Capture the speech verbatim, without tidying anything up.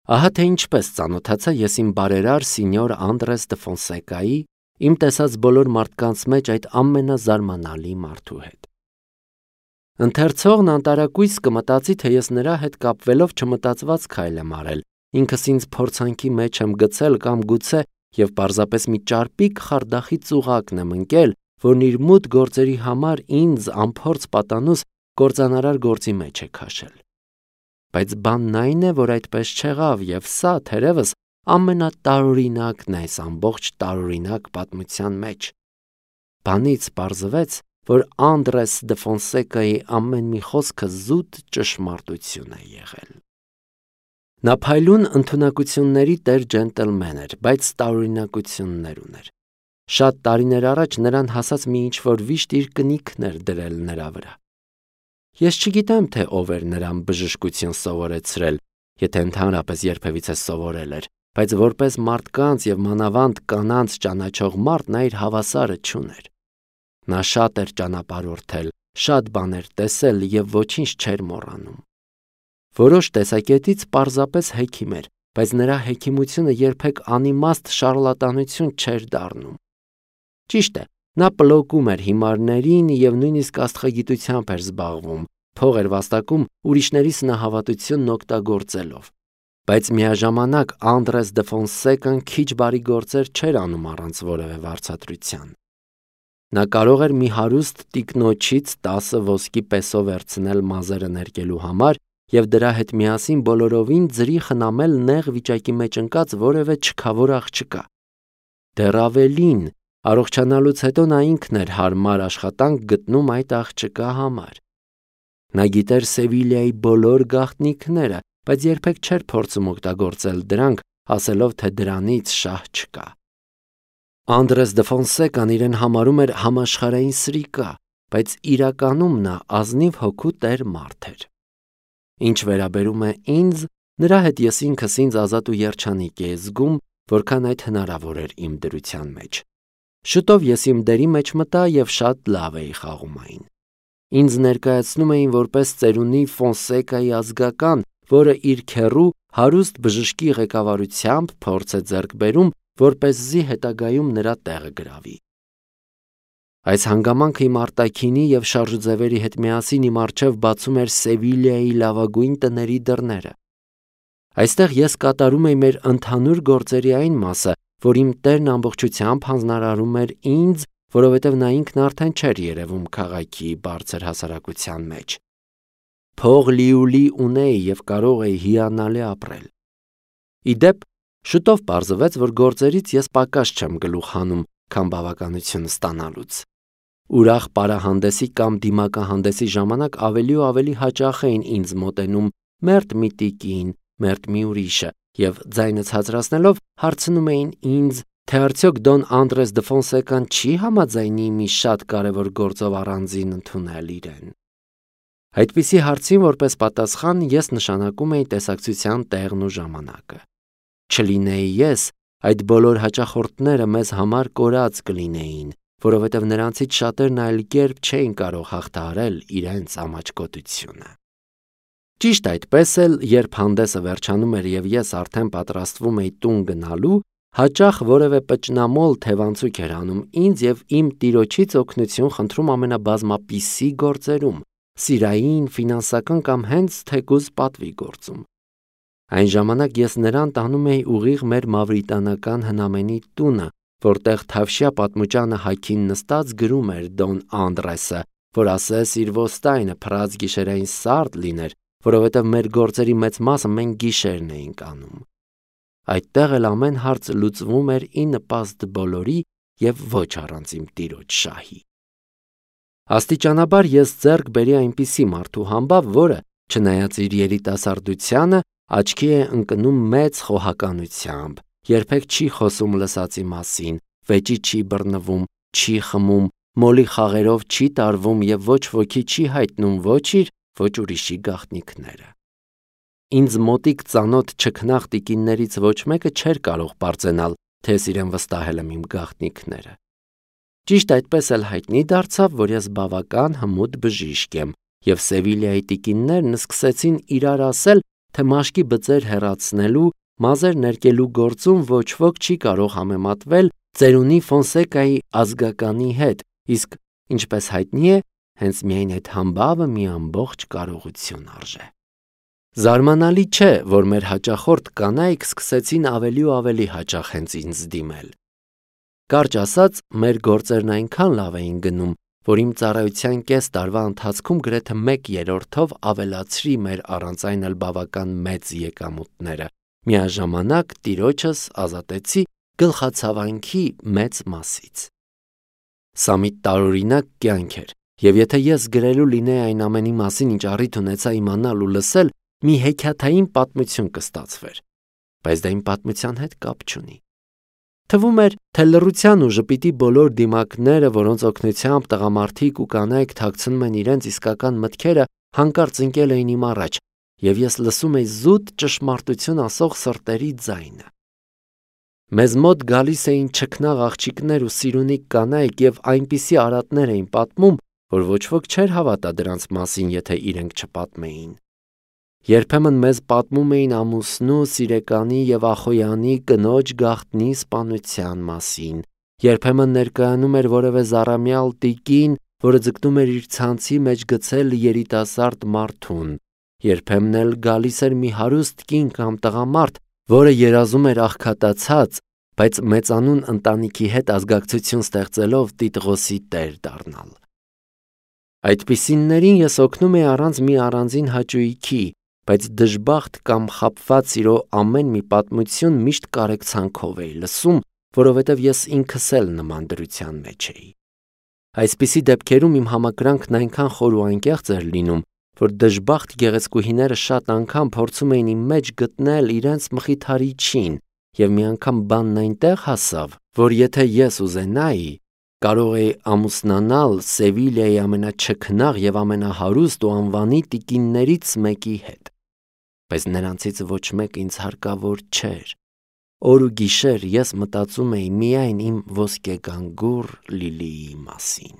Ահա թե ինչպես ծանոթացա ես իմ բարերար սինյոր Անդրես դե Ֆոնսեկայի, իմ տեսած բոլոր մարդկանց մեջ այդ ամենազարմանալի մարդու հետ։ Ընթերցողն անտարակույս կմտածի, թե ես նրա հետ կապվելով չմտածված քայլ եմ արել, ինքս ինձ փորձանքի մեջ եմ գցել կամ գուցե եւ պարզապես մի ճարպիկ խարդախի ծուղակն եմ ընկել, որն իր մութ գործերի համար ինձ անփորձ պատանուս կործանարար գործի մեջ է քաշել։ Բայց բանն այն է, որ այդպես չեղավ եւ սա թերևս ամենատարօրինակն է այս ամբողջ տարօրինակ պատմության մեջ։ Բանից պարզվեց, որ Անդրես դե Ֆոնսեկայի ամեն մի խոսքը զուտ ճշմարտություն է եղել։ Նա փայլուն ընդունակությունների տեր ջենտլմեն էր, բայց տարօրինակություններ ուներ։ Շատ տարիներ առաջ նրան հասած մի ինչ-որ վիշտ իր կնիքն էր դրել նրա վրա։ Ես չգիտեմ, թե ով էր նրան բժշկություն սովորեցրել, եթե ընդհանրապես երբևիցե սովորել էր, բայց որպես մարդկանց եւ մանավանդ կանանց ճանաչող մարդ նա իր հավասարը չուներ։ Նա շատ էր ճանապարհորդել, շատ բաներ տեսել եւ ոչինչ չէր մոռանում։ Որոշ տեսակետից պարզապես հեքիմ էր, բայց նրա հեքիմությունը երբեք անիմաստ շարլատանություն չէր դառնում։ Ճիշտ է, նա պլոկում էր հիմարներին եւ նույնիսկ աստղագիտությամբ էր զբաղվում, փող էր վաստակում ուրիշների սնահավատությունն օգտագործելով։ Բայց միաժամանակ Անդրես դե Ֆոնսեկան քիչ բարի գործեր չէր անում առանց որևէ վարձատրության։ Նա կարող էր մի հարուստ տիկնոջից տասը ոսկի պեսո վերցնել մազերը ներկելու համար եւ դրա հետ միասին բոլորովին ձրի խնամել նեղ վիճակի մեջ ընկած որևէ չքավոր աղջկա։ Դեռ ավելին, առողջանալուց հետո նա ինքն էր հարմար աշխատանք գտնում այդ աղջկա համար։ Նա գիտեր Սևիլիայի բոլոր գաղտնիքները, բայց երբեք չէր փորձում օգտագործել դրանք, ասելով, թե դրանից շահ չկա։ Անդրես դե Ֆոնսեկան իրեն համարում էր համաշխարհային սրիկա, բայց իրականում նա ազնիվ հոգու տեր մարդ էր։ Ինչ վերաբերում է ինձ, նրա հետ ես ինքս ինձ ազատ ու երջանիկ էի զգում, որքան այդ հնարավոր էր իմ դրության մեջ։ Շուտով ես իմ դերի մեջ մտա եւ շատ լավ էի խաղում այն։ Ինձ ներկայացնում էին որպես ծերունի Ֆոնսեկայի ազգական, որը իր քեռու հարուստ բժշկի ղեկավարությամբ փորձ է ձեռք բերում, որպեսզի հետագայում նրա տեղը գրավի։ Այս հանգամանքը իմ արտաքինի եւ շարժուձևերի հետ միասին իմ առջև բացում էր Սևիլիայի լավագույն տների դռները։ Այստեղ ես կատարում էի մեր ընդհանուր գործերի այն մասը, որ իմ տերն ամբողջությամբ հանձնարարում էր ինձ, որովհետև նա ինքն արդեն չէր երևում քաղաքի բարձր հասարակության մեջ։ Փող լիուլի ունեի եւ կարող էի հիանալի ապրել։ Իդեպ, շուտով պարզվեց, որ գործերից ես պակաս չեմ գլուխ հանում, քան բավականություն ստանալուց։ Ուրախ պարահանդեսի կամ դիմակահանդեսի ժամանակ ավելի ու ավելի հաճախ էին ինձ մոտենում մերթ մի տիկին, մերթ մի ուրիշը եւ ձայնը ցածրացնելով հարցնում էին ինձ, թե արդյոք Դոն Անդրես դե Ֆոնսեկան չի համաձայնի մի շատ կարևոր գործով առանձին ընդունել իրեն։ Այդպիսի հարցին որպես պատասխան ես նշանակում էի տեսակցության տեղն ու ժամանակը։ Չլինեի ես, այդ բոլոր հաճախորդները մեզ համար կորած կլինեին, որովհետև նրանցից շատերն այլ կերպ չէին կարող հաղթահարել իրենց ամաչկոտությունը։ Ճիշտ այդպես էլ, երբ հանդեսը վերջանում էր եւ ես արդեն պատրաստվում էի տուն գնալու, հաճախ որևէ պճնամոլ թևանցուկ էր անում ինձ եւ իմ տիրոջից օգնություն խնդրում ամենաբազմապիսի գործերում, սիրային, ֆինանսական կամ հենց թեկուզ պատվի գործում։ Այն ժամանակ ես նրան տանում էի ուղիղ մեր մավրիտանական հնամենի տունը, որտեղ Թավշյա պատմուճանը հագին նստած գրում էր Դոն Անդրեսը, որ ասես իր ոստայնը փռած գիշերային սարդ լիներ, որովհետև մեր գործերի մեծ մասը մենք գիշերն էինք անում։ Այդտեղ էլ ամեն հարց լուծվում էր ի նպաստ բոլորի եւ ոչ առանց իմ տիրոջ շահի։ Աստիճանաբար ես ձեռք բերի այնպիսի մարդու համբավ, որը, չնայած իր երիտասարդությանը, աչքի է ընկնում մեծ խոհականությամբ, երբեք չի խոսում լսածի մասին, վեճի չի բռնվում, չի խմում, մոլի խաղերով չի տարվում եւ ոչ ոքի չի հայտնում ոչ իր, ոչ ուրիշի գաղտնիքները։ Ինձ մոտիկ ծանոթ չքնաղ տիկիններից ոչ մեկը չէր կարող պարծենալ, թե ես իրեն վստահել եմ իմ գաղտնիքները։ Ճիշտ այդպես էլ հայտնի դարձավ, որ ես բավական հմուտ բժիշկ եմ, եւ Սևիլիայի տիկիններն սկսեցին իրար ասել, թե մաշկի բծեր հեռացնելու, մազեր ներկելու գործում ոչ ոք չի կարող համեմատվել ծերունի Ֆոնսեկայի ազգականի հետ, իսկ ինչպես հայտնի է, հենց միայն այդ համբավը մի ամբողջ կարողություն արժե։ Զարմանալի չէ, որ մեր հաճախորդ կանայք սկսեցին ավելի ու ավելի հաճախ հենց ինձ դիմել։ Կարճ ասած, մեր գործերն այնքան լավ էին գնում, որ իմ ծառայության կես տարվա ընթացքում գրեթե մեկ երրորդով ավելացրի մեր առանց այն էլ բավական մեծ եկամուտները։ Միաժամանակ տիրոջս ազատեցի գլխացավանքի մեծ մասից։ Սա մի տարօրինակ կյանք էր, եւ եթե ես գրելու լինեի այն ամենի մասին, ինչ առիթ ունեցա իմանալ ու լսել, մի հեքիաթային պատմություն կստացվեր, բայց դա իմ պատմության հետ կապ չունի։ Թվում էր, թե լռության ու ժպիտի բոլոր դիմակները, որոնց օգնությամբ տղամարդիկ ու կանայք թաքցնում են իրենց իսկական մտքերը, հանկարծ ընկել էին իմ առաջ, եւ ես լսում էի զուտ ճշմարտություն ասող սրտերի ձայնը։ Մեզ մոտ գալիս էին չքնաղ աղջիկներ ու սիրունիկ կանայք եւ այնպիսի արատներ էին պատմում, որ ոչ ոք չէր հավատա դրանց մասին, եթե իրենք չպատմեին։ Երբեմն մեզ պատմում էին ամուսնու, սիրեկանի եւ ախոյանի կնոջ գաղտնի սպանության մասին, երբեմն ներկայանում էր որևէ զառամյալ տիկին, որը ձգտում էր իր ցանցի մեջ գցել երիտասարդ մարդուն, երբեմն էլ գալիս էր մի հարուստ կին կամ տղամարդ, որը երազում էր աղքատացած, բայց մեծանուն ընտանիքի հետ ազգակցություն ստեղծելով Տիտղոսի տեր դառնալ։ Այդպիսիններին ես օգնում էի առանց մի առանձին հաճույքի, բայց դժբախտ կամ խաբված սիրո ամեն մի պատմություն միշտ կարեկցանքով էի լսում, որովհետև ես ինքս էլ նման դրության մեջ էի։ Այսպիսի դեպքերում իմ համակրանքն այնքան խոր ու անկեղծ էր լինում, որ դժբախտ գեղեցկուհիները շատ անգամ փորձում էին իմ մեջ գտնել իրենց մխիթարիչին, եւ մի անգամ բանն այնտեղ հասավ, որ եթե ես ուզենայի, կարող էի ամուսնանալ Սևիլիայի ամենաչքնաղ եւ ամենահարուստ ու անվանի տիկիններից մեկի հետ, բայց նրանցից ոչ մեկ ինձ հարկավոր չէր։ Օր ու գիշեր ես մտածում էի միայն իմ ոսկեգանգուր Լիլիի մասին։